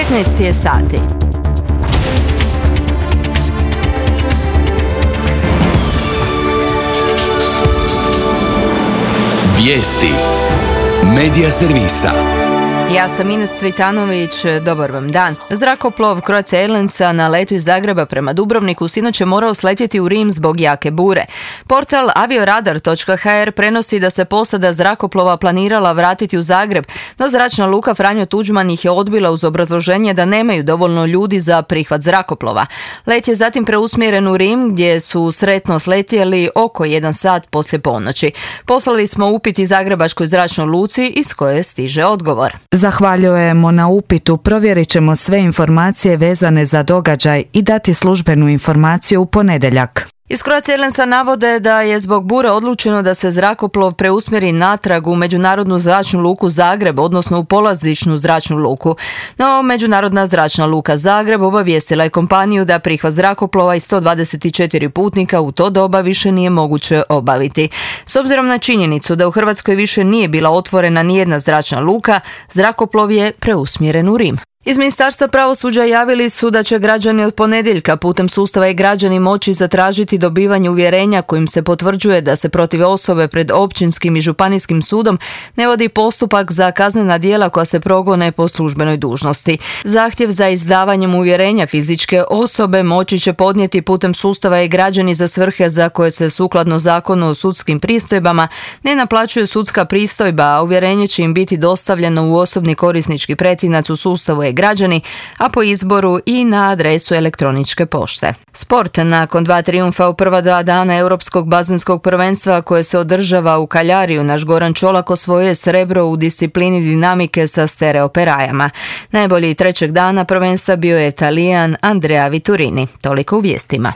15 je sati. Vijesti Medija servisa. Ja sam Ines Cvitanović, dobar vam dan. Zrakoplov Croatia Airlinesa na letu iz Zagreba prema Dubrovniku sinoć je morao sletjeti u Rim zbog jake bure. Portal avioradar.hr prenosi da se posada zrakoplova planirala vratiti u Zagreb, no zračna luka Franjo Tuđman ih je odbila uz obrazloženje da nemaju dovoljno ljudi za prihvat zrakoplova. Let je zatim preusmjeren u Rim gdje su sretno sletjeli oko 1 sat poslije ponoći. Poslali smo upit i Zagrebačkoj zračnoj luci iz koje stiže odgovor. Zahvaljujemo na upitu, provjerit ćemo sve informacije vezane za događaj i dati službenu informaciju u ponedjeljak. Iz Croatia Airlinesa navode da je zbog bure odlučeno da se zrakoplov preusmjeri natrag u Međunarodnu zračnu luku Zagreb, odnosno u polazišnu zračnu luku. No, Međunarodna zračna luka Zagreb obavijestila je kompaniju da prihvat zrakoplova i 124 putnika u to doba više nije moguće obaviti. S obzirom na činjenicu da u Hrvatskoj više nije bila otvorena nijedna zračna luka, zrakoplov je preusmjeren u Rim. Iz Ministarstva pravosuđa javili su da će građani od ponedjeljka putem sustava e-građani moći zatražiti dobivanje uvjerenja kojim se potvrđuje da se protiv osobe pred općinskim i županijskim sudom ne vodi postupak za kaznena djela koja se progone po službenoj dužnosti. Zahtjev za izdavanjem uvjerenja fizičke osobe moći će podnijeti putem sustava e-građani za svrhe za koje se sukladno Zakonu o sudskim pristojbama ne naplaćuje sudska pristojba, a uvjerenje će im biti dostavljeno u osobni korisnički pretinac u sustavu e-građani, a po izboru i na adresu elektroničke pošte. Sport. Nakon 2 trijumfa u prva 2 dana Europskog bazenskog prvenstva koje se održava u Kaljariju, naš Goran Čolak osvojio je srebro u disciplini dinamike sa stereoperajama. Najbolji trećeg dana prvenstva bio je Talijan Andrea Viturini. Toliko u vijestima.